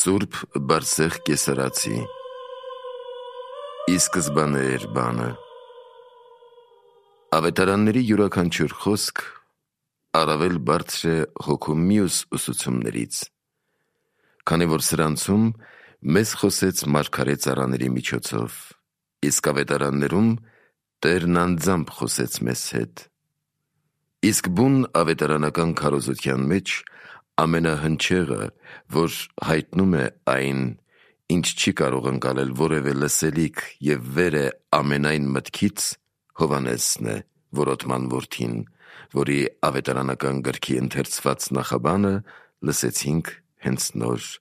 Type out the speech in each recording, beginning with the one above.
Սուրբ Բարսեղ Կեսարացի Ի սկզբանե էր բանը։ Ավետարանների յուրաքանչյուր խոսք առավել բարձր է հոգու մյուս ուսուցումներից, քանի որ սրանցում մեզ խոսեց մարգարե ծառաների միջոցով, իսկ ավետարաններում Տերն անձամբ խոսեց մեզ հետ։ Իսկ բուն ավետարանական քարոզության մեջ ամենահնչեղը, որ հայտնում է այն, ինչ չի կարող ընկալել որևէ լսելիք և վեր է ամենայն մտքից, Հովհաննեսն է, որոտման որդին, որի ավետարանական գրքի ընթերցված նախաբանը լսեցինք հենց նոր.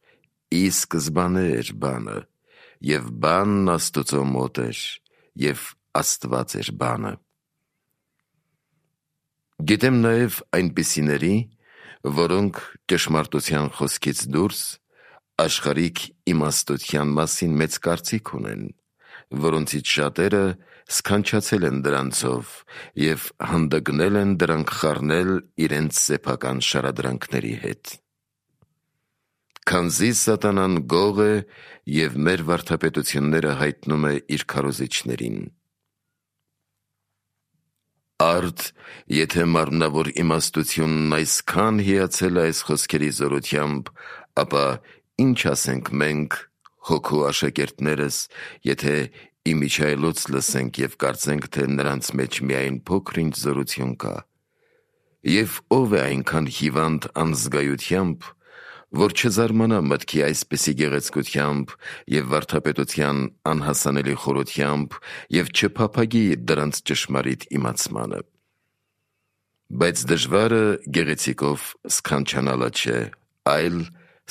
«Ի սկզբանե էր բանը, և բանն Աստծո մոտ էր, և Աստված էր բանը»։ Գիտեմ նաև այնպիսիների, որոնք ճշմարտության խոսքից դուրս աշխարհիկ իմաստության մասին մեծ կարծիք ունեն, որոնցից շատերը սքանչացել են դրանցով և հանդգնել են դրանք խառնել իրենց սեփական շարադրանքների հետ։ Քանզի սատանան գող է և մեր վարդապետությունները հայտնում է իր քարոզիչներին։ Արդ, եթե մարմնավոր իմաստությունն այսքան հիացել է այս խոսքերի զորությամբ, ապա ինչ ասենք մենք, հոգու աշակերտներս, եթե իմիջիայլոց լսենք և կարծենք, թե նրանց մեջ միայն փոքր-ինչ զորություն կա, և ով է այնքան հիվանդ անզգայությամբ, որ չզարմանա մտքի այսպիսի գեղեցկությամբ և վարդապետության անհասանելի խորությամբ և չփափագի դրանց ճշմարիտ իմացմանը։ Բայց դժվարը գեղեցիկով սքանչանալը չէ, այլ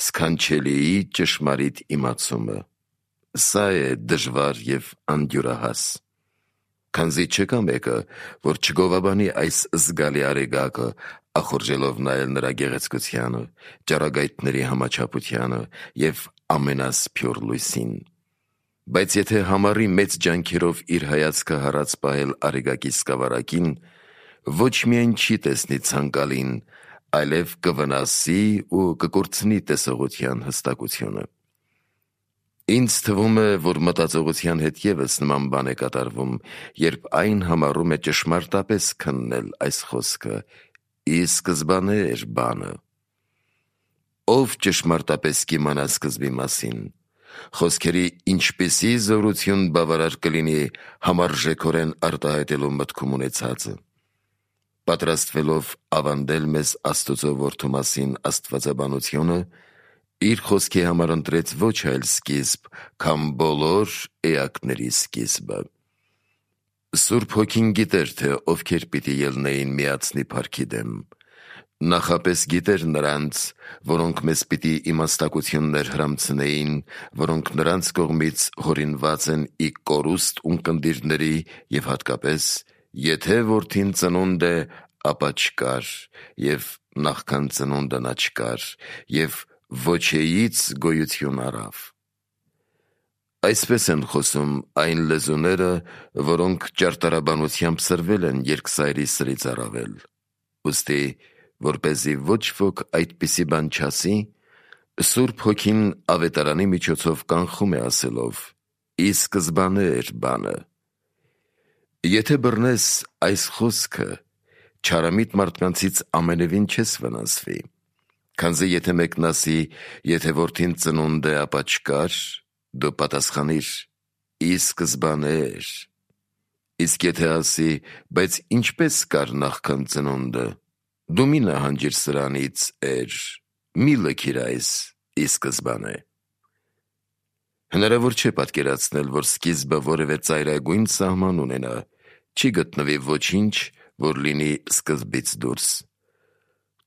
սքանչելիի ճշմարիտ իմացումը։ Սա է դժվար և անդյուրահաս։ Քանզի չկա մեկը, որ չգովաբանի այս զգալի արեգակը, ախորժելով նայել նրա գեղեցկությանը, ճառագայթների համաչափությանը և ամենասփյուռ լույսին։ Բայց եթե համառի մեծ ջանքերով իր հայացքը հառած պահել արեգակի սկավառակին, ոչ միայն չի տեսնի ցանկալին, այլև կվնասի ու կկորցնի տեսողության հստակությունը։ Ինձ թվում է, որ մտածողության հետ ևս նման բան է կատարվում, երբ այն համառում է ճշմարտապես քննել այս խոսքը. «Ի սկզբանե էր բանը»։ Ով ճշմարտապես կիմանա սկզբի մասին, խոսքերի ինչպիսի զորություն բավարար կլինի համարժեքորեն արտահայտելու մտքում ունեցածը։ Պատրաստվելով ավանդել մեզ Աստծո Որդու մասին աստվածաբանությունը, իր խոսքի համար ընտրեց ոչ այլ սկիզբ, քան բոլոր էակների սկիզբը։ Սուրբ Հոգին գիտեր, թե ովքեր պիտի ելնեին միացնի փառքի դեմ։ Նախապես գիտեր նրանց, որոնք մեզ պիտի իմաստակություններ հրամցնեին, որոնք նրանց կողմից հորինված են ի կորուստ ունկնդիրների և հատկապես, եթե որդին ծնունդ է, ապա չկար, և նախքան ծնունդը նա չկար, և ոչեից գոյություն առավ։ Այսպես են խոսում այն լեզուները, որոնք ճարտարաբանությամբ սրվել են երկսայրի սրից առավել։ Ուստի, որպեսզի ոչ ոք այդպիսի բան չասի, Սուրբ Հոգին ավետարանի միջոցով կանխում է ասելով. «Ի սկզբանե էր բանը»։ Եթե բռնես այս խոսքը, չարամիտ մարդկանցից ամենևին չես վնասվի, քանզի եթե մեկն ասի, եթե որդին ծնունդ է, ապա չկար, դու պատասխանիր. «Ի սկզբանե էր»։ Իսկ եթե ասի, բայց ինչպես կար նախքան ծնունդը, դու մի նահանջիր սրանից էր, մի լքիր այս «ի սկզբանե»։ Հնարավոր չէ պատկերացնել, որ սկիզբը որևէ ծայրագույն սահման ունենա, չի գտնվի ոչինչ, որ լինի սկզբից դուրս։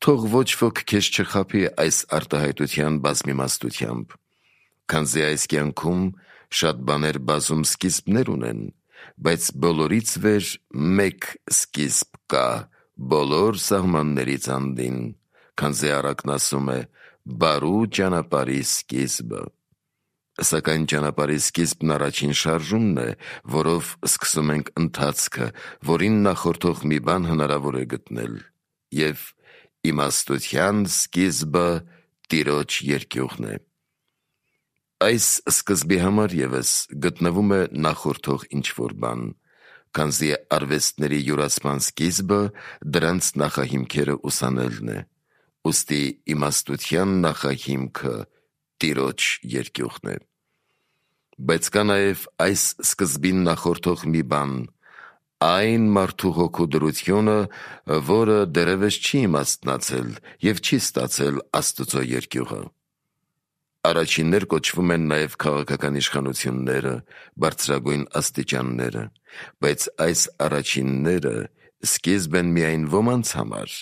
Թող ոչ ոք քեզ չխաբի այս արտահայտության բազմիմաստությամբ, քանզի այս կյանքում շատ բաներ բազում սկիզբներ ունեն, բայց բոլորից վեր մեկ սկիզբ կա բոլոր սահմաններից անդին, քանզի առակն ասում է. «Բարու ճանապարհի սկիզբը»։ Սակայն ճանապարհի սկիզբն առաջին շարժումն է, որով սկսում ենք ընթացքը, որին նախորդող մի բան հնարավոր է գտնել, և իմաստության սկիզբը Տիրոջ երկյուղն է։ Այս սկզբի համար ևս գտնվում է նախորդող ինչ-որ բան, քանզի արվեստների յուրացման սկիզբը դրանց նախահիմքերը ուսանելն է, ուստի իմաստության նախահիմքը Տիրոջ երկյուղն է։ Բայց կա նաև այս սկզբին նախորդող մի բան, այն մարդու հոգու դրությունը, որը դեռևս չի իմաստնացել և չի ստացել Աստծո երկյուղը։ Առաջիններ կոչվում են նաև քաղաքական իշխանությունները, բարձրագույն աստիճանները, բայց այս առաջինները սկիզբ են միայն ոմանց համար,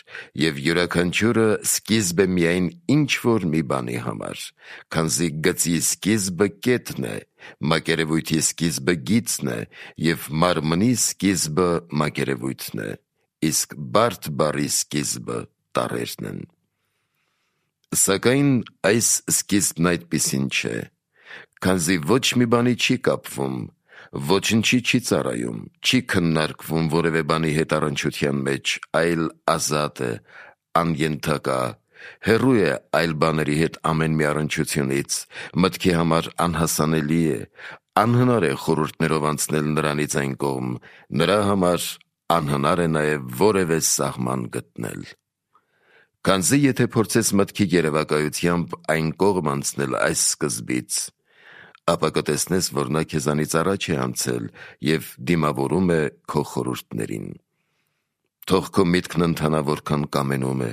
և յուրաքանչյուրը սկիզբ է միայն ինչ-որ մի բանի համար, քանզի գծի սկիզբը կետն է, մակերևույթի սկիզբը գիծն է, և մարմնի սկիզբը մակերևույթն է, իսկ բարդ բառի սկիզբը տառերն են։ Սակայն այս սկիզբն այդպիսին չէ, քանզի ոչ մի բանի չի կապվում, ոչնչի չի ծառայում, չի քննարկվում որևէ բանի հետ առնչության մեջ, այլ ազատ է, անյնդակա, հեռու է այլ բաների հետ ամեն մի առնչությունից, մտքի համար անհասանելի է, անհնար է խորհուրդներով անցնել նրանից այն կողմ, նրա համար անհնար է նաև որևէ սահման գտնել։ Քանզի եթե փորձես մտքի երևակայությամբ այն կողմ անցնել այս սկզբից, ապա կտեսնես, որ նա քեզանից առաջ է անցել և դիմավորում է քո խորհուրդներին։ Թող քո միտքն ընթանա որքան կամենում է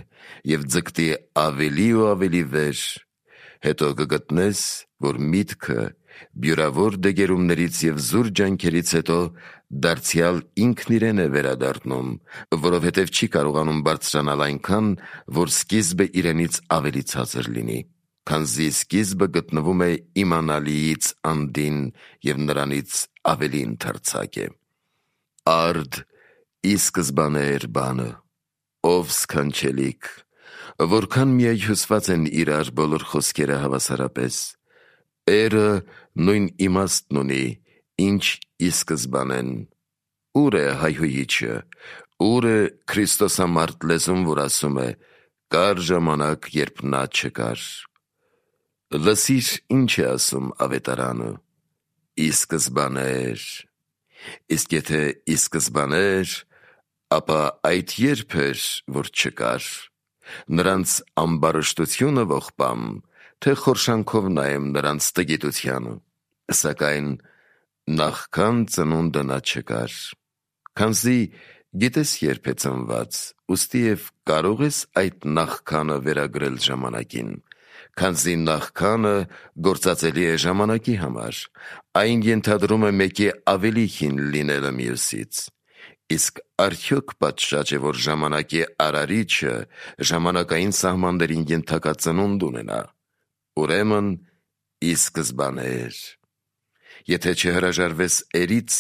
և ձգտի ավելի ու ավելի վեր, հետո կգտնես, որ միտքը բյուրավոր դեգերումներից և զուր ջանքերից հետո դարձյալ ինքն իրեն է վերադառնում, որովհետև չի կարողանում բարձրանալ այնքան, որ սկիզբը իրենից ավելի ցածր լինի, քանզի սկիզբը գտնվում է իմանալիից անդին և նրանից ավելի ընդարձակ է։ Արդ ի սկզբանե էր բանը, ով սքանչելիք, որքան միայհյուսված են իրար բոլոր խոսքերը հավասարապես, Էրը նույն իմաստն ունի, ինչ ի սկզբան են։ Ուր է հայհոյիչը, ուր է քրիստոսամարդ լեզուն, որ ասում է. կար ժամանակ, երբ նա չկար։ Լսիր, ինչ է ասում ավետարանը. ի սկզբանե էր։ Իսկ եթե ի սկզբանե էր, ապա այդ երբ էր, որ չկար։ Նրանց ամբարշտությունը ողբամ, թե խորշանքով նայեմ նրանց տգիտությանը, սակայն նախքան ծնունդը նա չկար։ Քանզի գիտես երբ է ծնված, ուստի և կարող ես այդ նախքանը վերագրել ժամանակին, քանզի նախքանը գործածելի է ժամանակի համար, այն ենթադրում է մեկի ավելի հին լինելը մյուսից։ Իսկ արդյոք պատշաճ է, որ ժամանակի արարիչը ժամանակային սահմաններին ենթակա ծնունդ ունենա։ Ուրեմն ի սկզբանե էր։ Եթե չհրաժարվես էրից,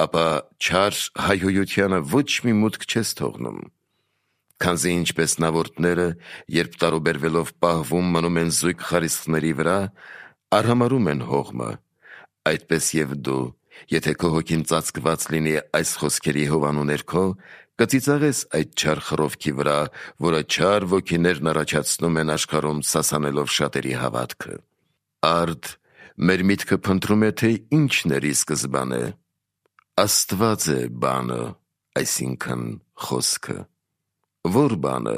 ապա չար հայհոյությանը ոչ մի մուտք չես թողնում։ Քանզի ինչպես նավորդները, երբ տարուբերվելով պահվում մնում են զույգ խարիսխների վրա, արհամարհում են հողմը, այդպես և դու, եթե քո հոգին ծածկված լինի այս խոսքերի հովանու ներքո, կծիծաղես այդ չար խռովքի վրա, որը չար ոգիներն առաջացնում են աշխարհում սասանելով շատերի հավատքը։ Արդ մեր միտքը փնտրում է, թե ինչն էր ի սկզբանե։ Աստված է բանը, այսինքն խոսքը։ Ո՞ր բանը,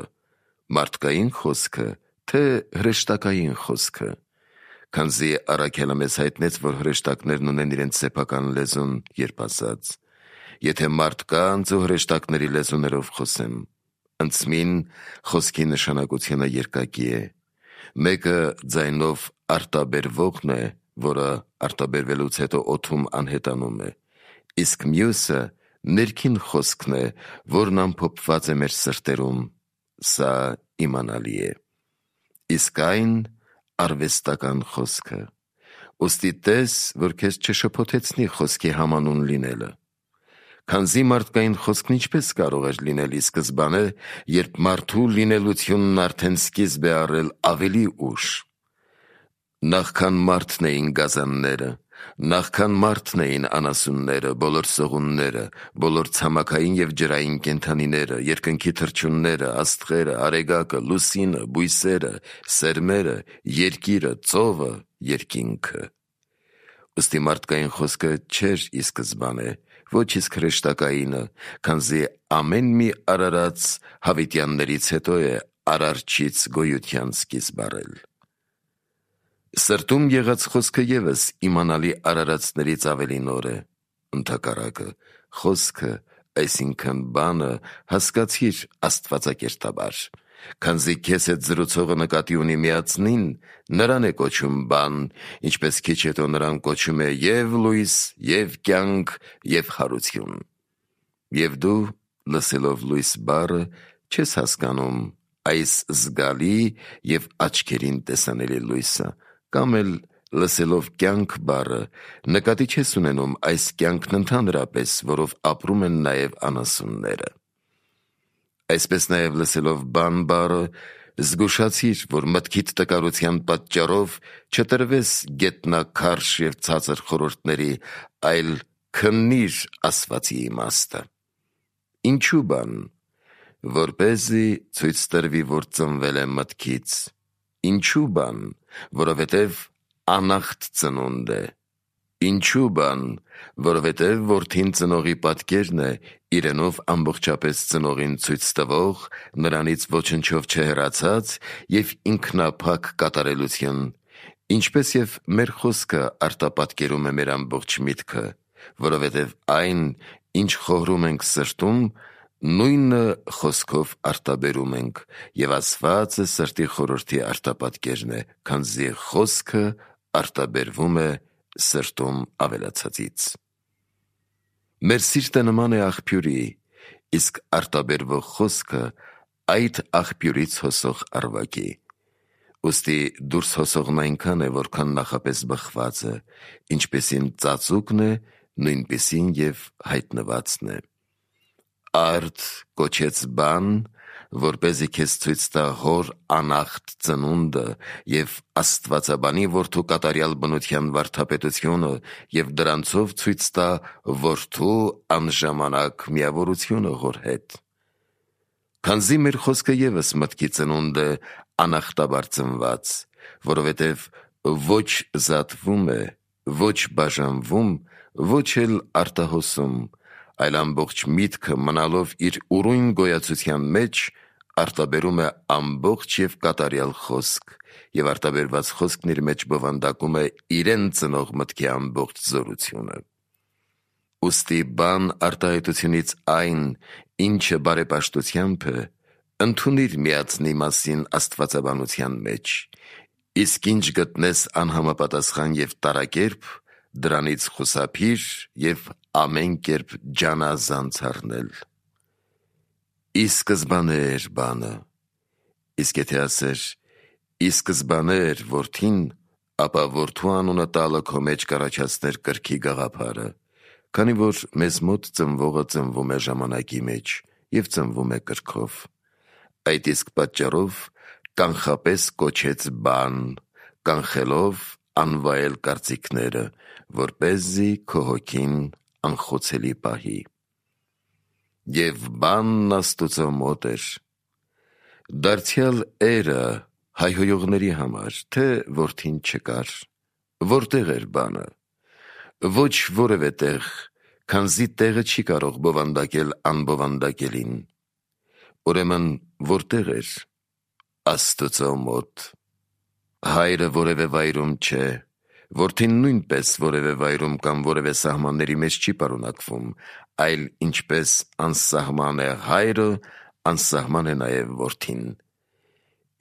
մարդկային խոսքը, թե հրեշտակային խոսքը։ Քանզի առաքյալը մեզ հայտնեց, որ հրեշտակներն ունեն իրենց սեփական լեզուն, երբ ասաց. եթե մարդկանց ու հրեշտակների լեզուներով խոսեմ, ընծմին խոսքի նշանակությունը երկակի է։ Մեկը ձայնով արտաբերվողն է, որը արտաբերվելուց հետո օդում անհետանում է, իսկ մյուսը ներքին խոսքն է, որն ամփոփված է մեր սրտերում, սա իմանալի է։ Իսկ այն արվեստական խոսքը, ուստի տես, որ քեզ չշփոթեցնի խոսքի համանուն լինելը։ Քանզի մարդկային խոսքն ինչպես կարող էր լինել ի սկզբանե, երբ մարդու լինելությունն արդեն սկիզբ է առել ավելի ուշ։ Նախքան մարդն էին գազանները, նախքան մարդն էին անասունները, բոլոր սողունները, բոլոր ցամաքային և ջրային կենդանիները, երկնքի թռչունները, աստղերը, արեգակը, լուսինը, բույսերը, սերմերը, երկիրը, ծովը երկինքը։ Ըստի մարդկային խոսքը չէր ի սկզբանե, ոչ իսկ հրեշտակայինը, քանզի ամեն մի արարած հավիտյաններից հետո է արարչից գոյության սկիզբ առել։ Սրտում եղած խոսքը ևս իմանալի արարածներից ավելի նոր է, ընդհակառակը խոսքը, այսինքն բանը հասկացիր աստվածակերտաբար, քանզի քեզ հետ զրուցողը նկատի ունի միածնին, նրան է կոչում բան, ինչպես քիչ հետո նրան կոչում է և լույս, և կյանք, և հարություն։ Եվ դու, լսելով լույս բառը, չես հասկանում այս զգալի և աչքերին տեսանելի լույսը, կամ էլ լսելով կյանք բառը, նկատի չես ունենում այս կյանքն ընդհանրապես, որով ապրում են նաև անասունները։ Այսպես նաև լսելով բան բառը, զգուշացիր, որ մտքիդ տկարության պատճառով չտրվես գետնաքարշ և ցածր խորհուրդների, այլ քննիր ասվածի իմաստը։ Ինչու բան, որպեսզի ցույց տրվի, որ ծնվել է մտքից։ Ինչու բան, որովհետև անախտ ծնունդ է։ Ինչու բան, որովհետև որդին ծնողի պատկերն է, իրենով ամբողջապես ծնողին ցույց տվող, նրանից ոչնչով չհեռացած և ինքնափակ կատարելություն, ինչպես և մեր խոսքը արտապատկերում է մեր ամբողջ միտքը, որովհետև այն, ինչ խորհում ենք սրտում, նույնը խոսքով արտաբերում ենք, և ասվածը սրտի խորհրդի արտապատկերն է, քանզի խոսքը արտաբերվում է սրտում ավելացածից։ Մեր սիրտը նման է աղբյուրի, իսկ արտաբերվող խոսքը այդ աղբյուրից հոսող առվակի։ Ուստի դուրս հոսողն այնքան է, որքան նախապես բխված է, ինչպեսին ծածուկն է, նույնպիսին և հայտնվածն է։ Արդ կոչեց բան, որպեսզի քեզ ցույց տա հոր անախտ ծնունդը և աստվածաբանի որդու կատարյալ բնության վարդապետությունը և դրանցով ցույց տա որդու անժամանակ միավորությունը հոր հետ։ Քանզի մեր խոսքը ևս մտքի ծնունդ է անախտաբար ծնված, որովհետև ոչ զատվում է, ոչ բաժանվում, ոչ էլ արտահոսում, այլ ամբողջ միտքը մնալով իր ուրույն գոյացության մեջ, արտաբերում է ամբողջ և կատարյալ խոսք, և արտաբերված խոսքն իր մեջ բովանդակում է իրեն ծնող մտքի ամբողջ զորությունը։ Ուստի բան արտահայտությունից այն, ինչը բարեպաշտությամբ է, ընդունիր միածնի մասին աստվածաբանության մեջ, իսկ ինչ գտնես անհամապատասխան և տարակերպ, դրանից խուսափիր և ամեն կերպ ջանազանց առնել։ Ի սկզբանե էր բանը, իսկ եթե ասեր ի սկզբանե էր որդին, ապա որդու անունը տալը քո մեջ կառաջացներ կրքի գաղափարը, քանի որ մեզ մոտ ծնվողը ծնվում է ժամանակի մեջ և ծնվում է կրքով։ Այդ իսկ պատճառով կանխապես կոչեց բան, կանխելով անվայել կարծիքները, որպեսզի քո հոգին անխոցելի պահի։ Եվ բանն Աստուծո մոտ էր։ Դարձյալ էրը հայհոյողների համար, թե որդին չկար, որտեղ էր բանը։ Ոչ որևէ տեղ, քանզի տեղը չի կարող բովանդակել անբովանդակելին։ Ուրեմն որտեղ էր։ Աստուծո մոտ։ Հայրը որևէ վայրում չէ, որդին նույնպես որևէ վայրում կամ որևէ սահմանների մեջ չի պարունակվում, այլ ինչպես անսահման է հայրը, անսահման է նաև որդին։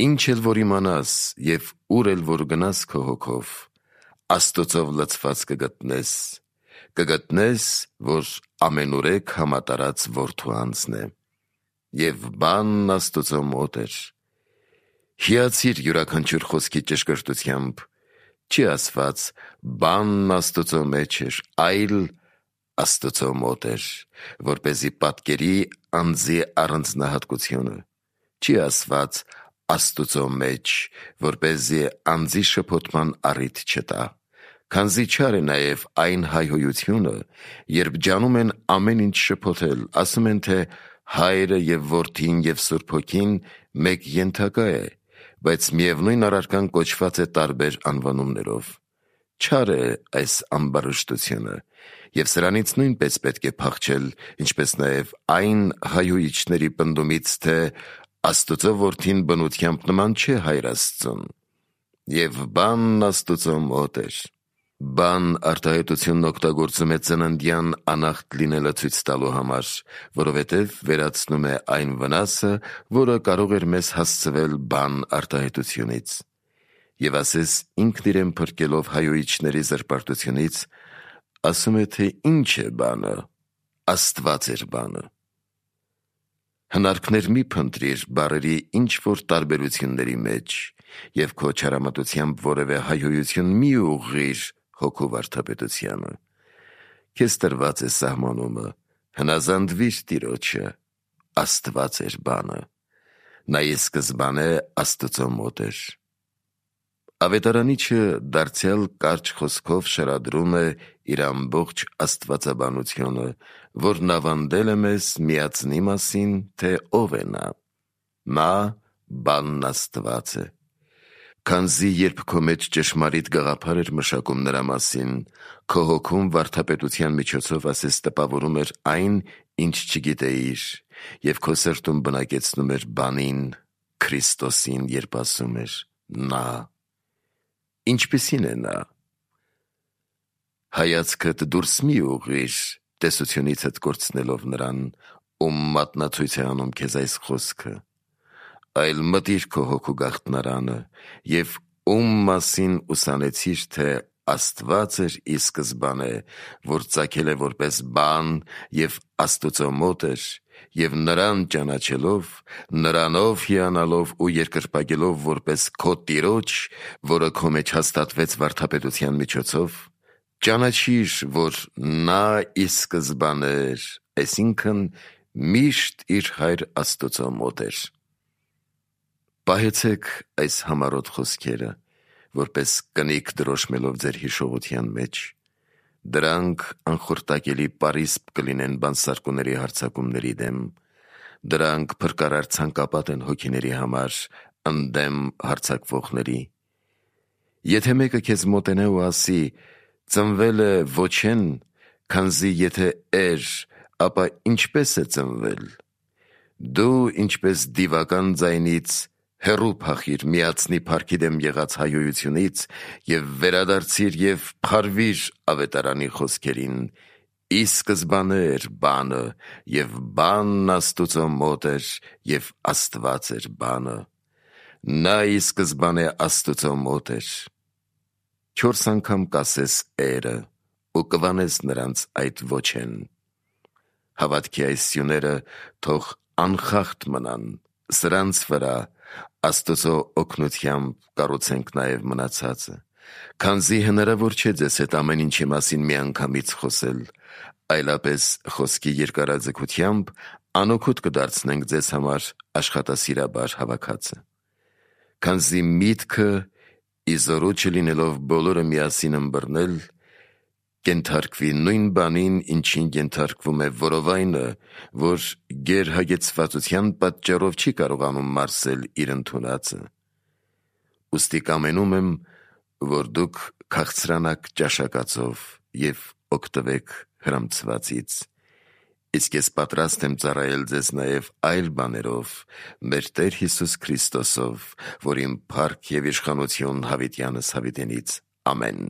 Ինչ էլ որ իմանաս և ուր էլ որ գնաս քո հոգով, Աստուծով լցված կգտնես, որ ամենուրեք համատարած որդու անձն է։ Եվ բանն Աստուծո մոտ էր։ Հիացիր յուրաքանչյուր խոսքի ճշգրտությամբ, չի ասված բանն Աստուծո մեջ էր, այլ Աստուծո մոտ էր, որպեսզի պատկերի անձի առանձնահատկությունը, չի ասված Աստուծո մեջ, որպեսզի անձի շփոթման առիթ չտա, քանզի չար է նաև այն հայհոյությունը, երբ ջանում են ամեն ինչ շփոթել, ասում են, թե Հայրը և Որդին և Սուրբ Հոգին մեկ ենթակա է, բայց միևնույն առարկան կոչված է տարբեր անվանումներով։ Չար է այս ամբարշտությունը, և սրանից նույնպես պետք է փախչել, ինչպես նաև այն հայհոյիչների պնդումից, թե Աստծո որդին բնությամբ նման չէ Հայր Աստծուն, և բանն Աստծո մոտ էր։ Բան արտահայտությունն օգտագործում է ծննդյան անախտ լինելը ցույց տալու համար, որովհետև վերացնում է այն վնասը, որը կարող էր մեզ հասցվել բան արտահայտությունից։ Եվ ասես ինքն իրեն փրկելով հայհոյիչների զրպարտությունից, ասում է, թե ինչ է բանը, Աստված էր բանը։ Հնարքներ մի փնտրիր բառերի ինչ-որ տարբերությունների մեջ, և քո չարամտությամբ որևէ հայհոյություն մի ուղղիր հոգու վարդապետությանը։ Քեզ տրված է սահմանումը, հնազանդվիր Տիրոջը, Աստված էր բանը, նա ի սկզբանե Աստծո մոտ էր։ Ավետարանիչը դարձյալ կարճ խոսքով շարադրում է իր ամբողջ աստվածաբանությունը, որն ավանդել է մեզ միածնի մասին, թե ով է նա։ Նա բանն Աստված է։ Քանզի երբ քո մեջ ճշմարիտ գաղափար էր մշակում նրա մասին, քո հոգում վարդապետության միջոցով ասես տպավորում էր այն, ինչ չգիտեիր, և քո սրտում բնակեցնում էր բանին, Քրիստոսին, երբ ասում էր «Նա»։ Ինչպիսին է նա։ Հայացքդ դուրս մի ուղղիր, տեսությունիցդ կորցնելով նրան, ում մատնացույց է անում քեզ այս խոսքը, այլ մտիր քո հոգու գաղտնարանը, և ում մասին ուսանեցիր, թե Աստված էր ի սկզբանե, որ ծագել է որպես բան և Աստծո մոտ էր, և նրան ճանաչելով, նրանով հիանալով ու երկրպագելով որպես քո Տիրոջ, որը քո մեջ հաստատվեց վարդապետության միջոցով, ճանաչիր, որ նա ի սկզբանե էր, այսինքն միշտ իր Հայր Աստծո մոտ էր։ Պահեցեք այս համառոտ խոսքերը, որպես կնիկ դրոշմելով ձեր հիշողության մեջ։ Դրանք անխորտակելի պարիսպ կլինեն բանսարկուների հարձակումների դեմ, դրանք փրկարար ցանկապատ են հոգիների համար, ընդդեմ հարձակվողների։ Եթե մեկը քեզ մոտենա ու ասի, ծնվել է ոչեն, քանզի եթե էր, ապա ինչպես է ծնվել, դու ինչպես դիվական ձայնից հեռու փախիր միածնի փառքի դեմ եղած հայհոյությունից և վերադարձիր և փարվիր ավետարանի խոսքերին. ի սկզբանե էր բանը, և բանն Աստծո մոտ էր, և Աստված էր բանը։ Նա ի սկզբանե Աստծո մոտ էր։ 4 անգամ կասես «էրը» ու կվանես նրանց այդ ոչեն։ Հավատքի այս սյուները թող անխախտ մնան, սրանց վրա Աստծո օգնությամբ կառուցենք նաև մնացածը, քանզի հնարավոր չէ ձեզ հետ ամեն ինչի մասին միանգամից խոսել, այլապես խոսքի երկարաձգությամբ անօգուտ կդարձնենք ձեզ համար աշխատասիրաբար հավաքածը։ Քանզի միտքը ի զորու չլինելով բոլորը միասին ըմբռնել, կենթարկվի նույն բանին, ինչին կենթարկվում է որովայնը, որ գերհագեցվածության պատճառով չի կարողանում մարսել իր ընդունածը։ Ուստի կամենում եմ, որ դուք քաղցրանաք ճաշակածով և օգտվեք հրամցվածից, իսկ ես պատրաստ եմ ծառայել ձեզ նաև այլ բաներով, մեր Տեր Հիսուս Քրիստոսով, որին փառք և իշխանություն հավիտյանս հավիտենից։ Ամեն։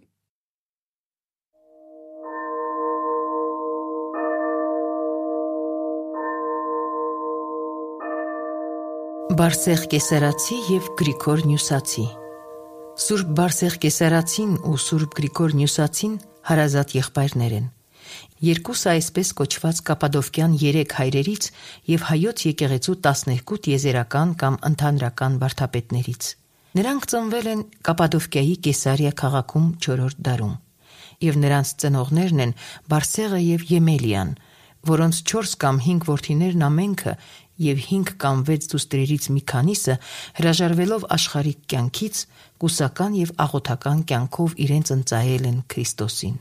Բարսեղ Կեսարացի և Գրիգոր Նյուսացի։ Սուրբ Բարսեղ Կեսարացին ու Սուրբ Գրիգոր Նյուսացին հարազատ եղբայրներ են։ Երկուսը այսպես կոչված կապադովկյան 3 հայրերից և հայոց եկեղեցու 12 տիեզերական կամ ընդհանրական վարդապետներից։ Նրանք ծնվել են Կապադովկիայի Կեսարիա քաղաքում 4-րդ դարում, և նրանց ծնողներն են Բարսեղը և Եմելիան, որոնց 4 կամ 5 որդիներն ամենքը և 5 կամ 6 դուստրերից մի քանիսը հրաժարվելով աշխարհիկ կյանքից, կուսական և աղոթական կյանքով իրենց ընծայել են Քրիստոսին։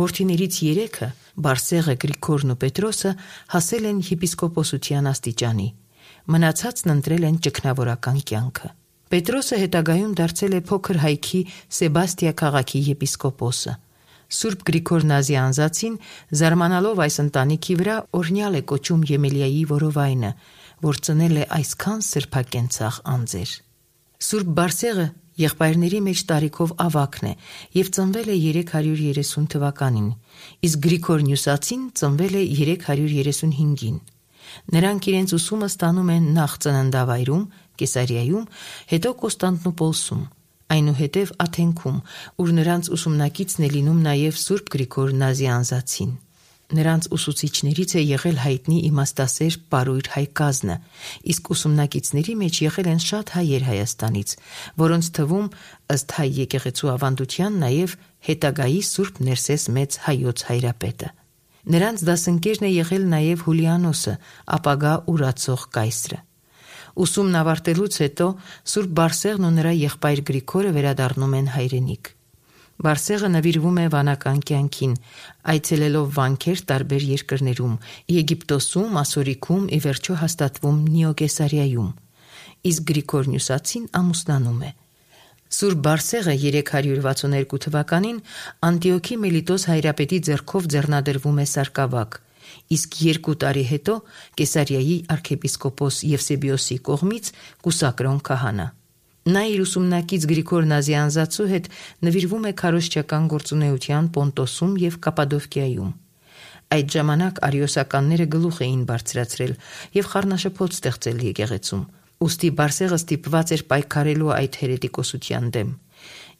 Որդիներից 3-ը՝ Բարսեղը, Գրիգորն ու Պետրոսը, հասել են եպիսկոպոսության աստիճանի, մնացածն ընտրել են ճգնավորական կյանքը։ Պետրոսը հետագայում դարձել է փոքր հայքի Սեբաստիա քաղաքի եպիսկոպոսը։ Սուրբ Գրիգոր Նազիանզացին, զարմանալով այս ընտանիքի վրա, օրհնյալ է կոչում Եմելիայի որովայնը, որ ծնել է այսքան սրբակենցաղ անձեր։ Սուրբ Բարսեղը եղբայրների մեջ տարիքով ավագն է եւ ծնվել է 330 թվականին, իսկ Գրիգոր Նյուսացին ծնվել է 335-ին։ Նրանք իրենց ուսումը ստանում են նախ ծննդավայրում, Կեսարիայում, հետո Կոստանդնուպոլսում, այնուհետև Աթենքում, ուր նրանց ուսումնակիցն է լինում նաև Սուրբ Գրիգոր Նազիանզացին։ Նրանց ուսուցիչներից է եղել հայտնի իմաստասեր Պարույր Հայկազնը, իսկ ուսումնակիցների մեջ եղել են շատ հայեր Հայաստանից, որոնց թվում, ըստ հայ եկեղեցու ավանդության, նաև հետագայի Սուրբ Ներսես մեծ հայոց հայրապետը։ Նրանց դասընկերն է եղել նաև Հուլիանոսը, ապագա ուրացող կայսրը։ Ուսումն ավարտելուց հետո Սուրբ Բարսեղն ու նրա եղբայր Գրիգորը վերադառնում են հայրենիք։ Բարսեղը նվիրվում է վանական կյանքին, այցելելով վանքեր տարբեր երկրներում՝ Եգիպտոսում, Ասորիքում, ի վերջո հաստատվում Նիոկեսարիայում, իսկ Գրիգոր Նյուսացին ամուսնանում է։ Սուրբ Բարսեղը 362 թվականին Անտիոքի Մելիտոս հայրապետի ձեռքով ձեռնադրվում է սարկավակ, իսկ 2 տարի հետո Կեսարիայի arczepiskopos Եվսեբիոսի կողմից կուսակրոն քահանա։ Նա իր ուսումնակից Գրիգոր Նազիանզացու հետ նվիրվում է քարոզչական գործունեության Պոնտոսում եւ Կապադովկիայում։ Այդ ժամանակ արիոսականները գլուխ էին բարձրացրել եւ խառնաշփոթ ստեղծել եկեղեցում։ Ուստի Բարսեղը ստիպված էր պայքարելու այդ հերետիկոսության դեմ։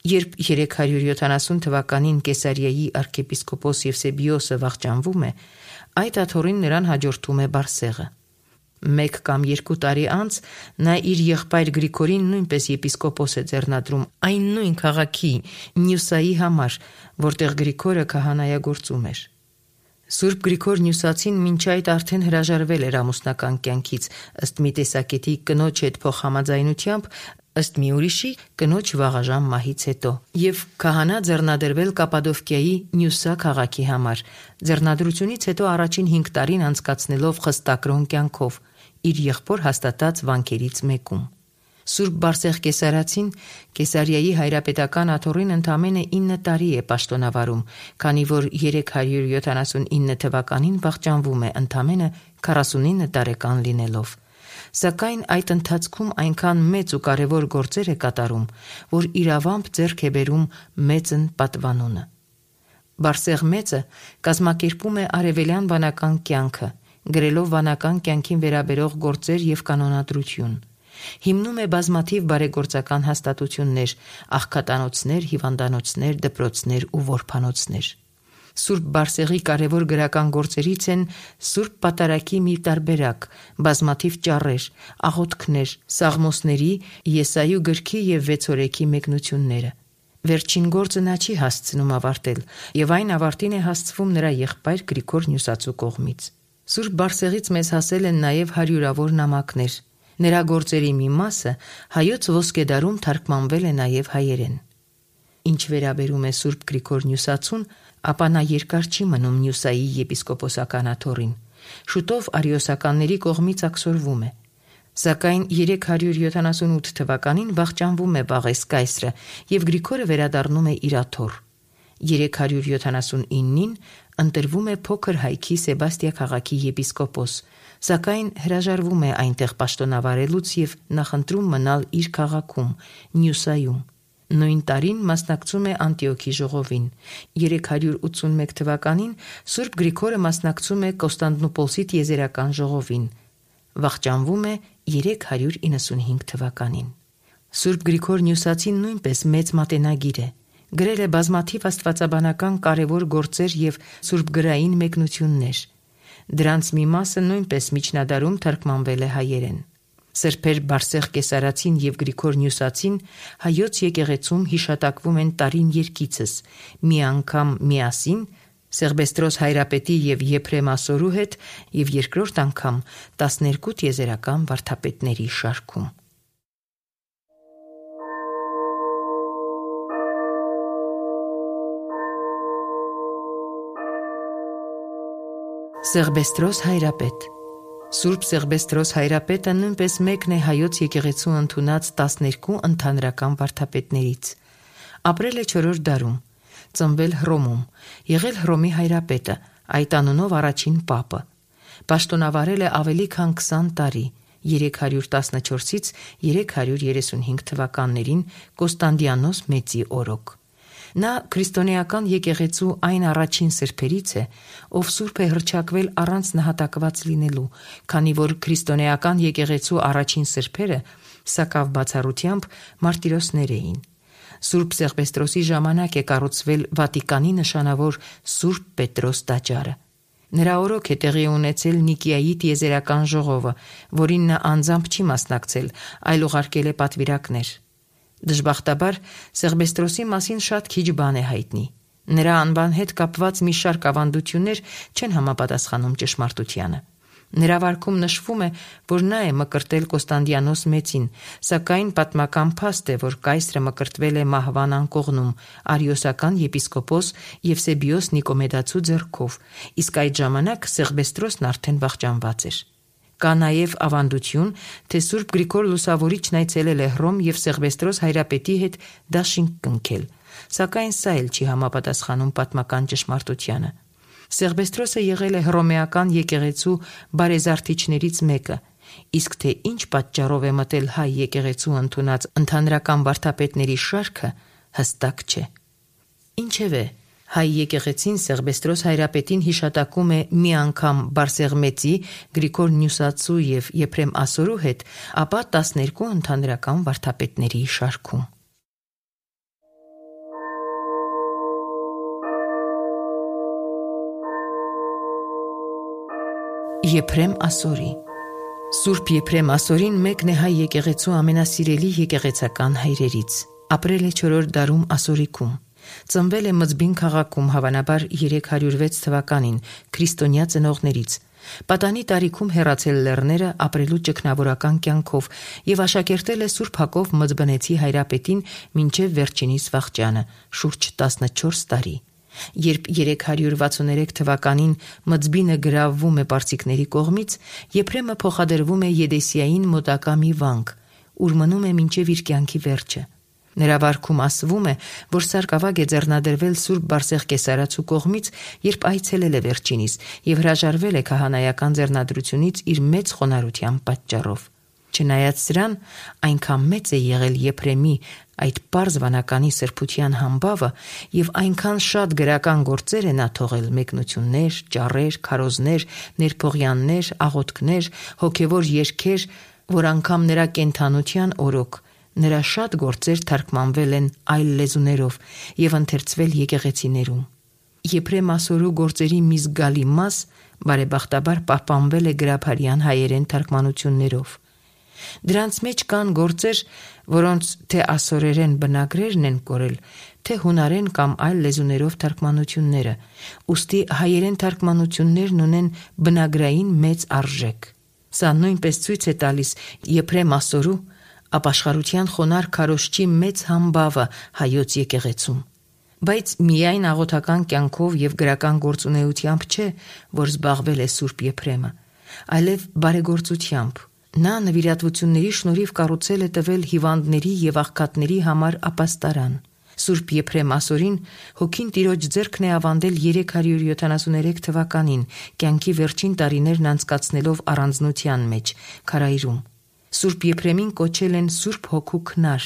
Երբ 370 թվականին Կեսարիայի arczepiskopos Եվսեբիոսը վախճանվում է, այդ աթոռին նրան հաջորդում է Բարսեղը։ 1 կամ 2 տարի անց նա իր եղբայր Գրիգորին նույնպես եպիսկոպոս է ձեռնադրում այն նույն քաղաքի Նյուսայի համար, որտեղ Գրիգորը քահանայագործում էր։ Սուրբ Գրիգոր Նյուսացին մինչ այդ արդեն հրաժարվել էր ամուսնական կյանքից, ըստ մի տեսակետի կնոջ հետ փոխհամաձայնությամբ, ըստ մի ուրիշի կնոջ վաղաժամ մահից հետո, եւ քահանա ձեռնադրվել Կապադովկիայի Նյուսա քաղաքի համար, ձեռնադրությունից հետո առաջին 5 տարին անցկացնելով խստակրոն կյանքով, իր եղբոր հաստատած վանքերից մեկում։ Սուրբ Բարսեղ Կեսարացին Կեսարիայի հայրապետական աթոռին ընդամենը 9 տարի է պաշտոնավարում, քանի որ 379 թվականին վախճանվում է ընդամենը 49 տարեկան լինելով։ Սակայն այդ ընթացքում այնքան մեծ ու կարևոր գործեր է կատարում, որ իրավամբ ձեռք է բերում մեծն պատվանունը։ Բարսեղ մեծը կազմակերպում է արևելյան վանական կյանքը, գրելով վանական կյանքին վերաբերող գործեր եւ կանոնադրություն։ Հիմնում է բազմաթիվ բարեգործական հաստատություններ, աղքատանոցներ, հիվանդանոցներ, դպրոցներ ու որբանոցներ։ Սուրբ Բարսեղի կարևոր գրական գործերից են Սուրբ Պատարագի մի տարբերակ, բազմաթիվ ճառեր, աղոթքներ, Սաղմոսների, Եսայու գրքի եւ Վեցորեքի մեկնությունները։ Վերջին գործը նա չի հասցնում ավարտել, եւ այն ավարտին է հասցվում նրա եղբայր Գրիգոր Նյուսացու կողմից։ Սուրբ Բարսեղից մեզ հասել են նաեւ հարյուրավոր նամակներ։ Նրա գործերի մի մասը հայոց ոսկեդարում թարգմանվել է նաեւ հայերեն։ Ինչ վերաբերում է Սուրբ Գրիգոր Նյուսացուն, ապա նա երկար չի մնում Նյուսայի եպիսկոպոսական աթոռին։ Շուտով արիոսականների կողմից ակսորվում է։ Սակայն 378 թվականին վախճանվում է Վաղես կայսրը եւ Գրիգորը վերադառնում է իր աթոռ։ 379-ին ընտրվում է փոքր հայքի Սեբաստիա քաղաքի եպիսկոպոս, սակայն հրաժարվում է այնտեղ պաշտոնավարելուց եւ նախընտրում մնալ իր քաղաքում Նյուսայում։ Նույն տարին մասնակցում է Անտիոքի ժողովին։ 381 թվականին Սուրբ Գրիգորը մասնակցում է Կոստանդնուպոլսի տիեզերական ժողովին։ Վախճանվում է 395 թվականին։ Սուրբ Գրիգոր Նյուսացին նույնպես մեծ մատենագիր է։ Գրել է բազմաթիվ աստվածաբանական կարևոր գործեր եւ սուրբգրային մեկնություններ։ Դրանց մի մասը նույնպես միջնադարում թարգմանվել է հայերեն։ Սրբեր Բարսեղ Կեսարացին եւ Գրիգոր Նյուսացին հայոց եկեղեցում հիշատակվում են տարին երկիցս, մի անգամ միասին Սեղբեստրոս հայրապետի եւ Եփրեմ Ասորու հետ եւ երկրորդ անգամ 12 տիեզերական վարդապետների շարքում։ Սեղբեստրոս հայրապետ Սուրբ Սեղբեստրոս հայրապետը նույնպես մեկն է հայոց եկեղեցու ընդունած 12 ընդհանրական վարդապետներից։ Ապրել է 4-րդ դարում, ծնվել Հռոմում, եղել Հռոմի հայրապետը, այդ անունով առաջին պապը։ Պաշտոնավարել է ավելի քան 20 տարի, 314-ից 335 թվականներին Կոստանդիանոս Մեծի օրոք։ Նա քրիստոնեական եկեղեցու այն առաջին սրբերից է, ով սուրբ է հռչակվել առանց նահատակված լինելու, քանի որ քրիստոնեական եկեղեցու առաջին սրբերը սակավ բացառությամբ մարտիրոսներ էին։ Սուրբ Սեղբեստրոսի ժամանակ է կառուցվել Վատիկանի նշանավոր Սուրբ Պետրոս տաճարը։ Նրա օրոք է տեղի ունեցել Նիկիայի տիեզերական ժողովը, որին նա անձամբ չի մասնակցել, այլ ուղարկել է պատվիրակներ։ Դժբախտաբար Սեղբեստրոսի մասին շատ քիչ բան է հայտնի։ Նրա անվան հետ կապված մի շարք ավանդություններ չեն համապատասխանում ճշմարտությանը։ Նրա վարքում նշվում է, որ նա է մկրտել Կոստանդիանոս Մեծին, սակայն պատմական փաստ է, որ կայսրը մկրտվել է մահվան անկողնում արիոսական եպիսկոպոս Եվսեբիոս Նիկոմեդացու ձեռքով, իսկ այդ ժամանակ Սեղբեստրոսն արդեն վախճանված էր։ Կա նաև ավանդություն, թե Սուրբ Գրիգոր Լուսավորիչն այցելել է Հռոմ եւ Սեղբեստրոս հայրապետի հետ դաշինք կնքել, սակայն սա էլ չի համապատասխանում պատմական ճշմարտությանը։ Սեղբեստրոսը եղել է հռոմեական եկեղեցու բարեզարդիչներից մեկը, իսկ թե ինչ պատճառով է մտել հայ եկեղեցու ընդունած ընդհանրական վարդապետների շարքը հստակ չէ։ Ինչևէ, հայ եկեղեցին Սեղբեստրոս հայրապետին հիշատակում է մի անգամ Բարսեղմեծի, Գրիգոր Նյուսացու եւ Եփրեմ Ասորու հետ, ապա 12 ընդհանրական վարդապետների շարքում։ Եփրեմ Ասորի Սուրբ Եփրեմ Ասորին մեկն է հայ եկեղեցու ամենասիրելի եկեղեցական հայրերից։ Ապրել է 4-րդ դարում Ասորիքում։ Ծնվել է Մզբին քաղաքում, հավանաբար 306 թվականին, քրիստոնյա ծնողներից։ Պատանի տարիքում հեռացել լեռները ապրելու ճգնավորական կյանքով եւ աշակերտել է Սուրբ Հակով Մզբնեցի հայրապետին մինչեւ վերջինիս վախճանը, շուրջ 14 տարի։ Երբ 363 թվականին Մզբինը գրավվում է պարսիկների կողմից, Եփրեմը փոխադրվում է Եդեսիային մոտակա մի վանք, ուր մնում է մինչև իր կյանքի վերջը։ Նրա վարքում ասվում է, որ սարկավագ է ձեռնադրվել Սուրբ Բարսեղ Կեսարացու կողմից, երբ այցելել է վերջինիս եւ հրաժարվել է քահանայական ձեռնադրությունից իր մեծ խոնարհության պատճառով։ Չնայած սրան, այնքան մեծ է եղել Եփրեմի այդ պարզ վանականի սրբության համբավը եւ այնքան շատ գրական գործեր է նա թողել՝ մեկնություններ, ճառեր, քարոզներ, ներփողյաններ, աղոթքներ, հոգեվոր երգեր, որ անգամ նրա կենթանության օրոք նրա շատ գործեր թարգմանվել են այլ լեզուներով եւ ընթերցվել եկեղեցիներում։ Եփրեմ Ասորու գործերի մի զգալի մաս բարեբախտաբար պահպանվել է գրաբարյան հայերեն թարգմանություններով։ Դրանց մեջ կան գործեր, որոնց թե ասորերեն բնագրերն են կորել, թե հունարեն կամ այլ լեզուներով թարգմանությունները, ուստի հայերեն թարգմանություններն ունեն բնագրային մեծ արժեք։ Սա նույնպես ցույց է տալիս Եփրեմ Ասորու ապաշխարության խոնարհ քարոզչի մեծ համբավը հայոց եկեղեցում։ Բայց միայն աղոթական կյանքով եւ գրական գործունեությամբ չէ, որ զբաղվել է Սուրբ Եփրեմը, այլև բարեգործությամբ։ Նա նվիրատվությունների շնորհիվ կառուցել է տվել հիվանդների եւ աղքատների համար ապաստարան։ Սուրբ Եփրեմ Ասորին հոգին Տիրոջ ձեռքն է ավանդել 373 թվականին, կյանքի վերջին տարիներն անցկացնելով առանձնության մեջ, քարայրում։ Սուրբ Եփրեմին կոչել են Սուրբ Հոգու քնար,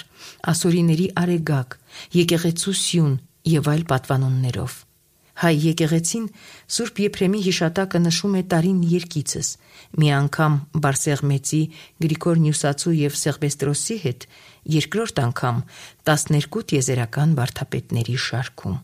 ասորիների արեգակ, եկեղեցու սյուն եւ այլ պատվանուններով։ Հայ եկեղեցին Սուրբ Եփրեմի հիշատակը նշում է տարին երկիցս, մի անգամ Բարսեղմեծի, Գրիգոր Նյուսացու եւ Սեղբեստրոսի հետ, երկրորդ անգամ 12 տիեզերական վարդապետների շարքում։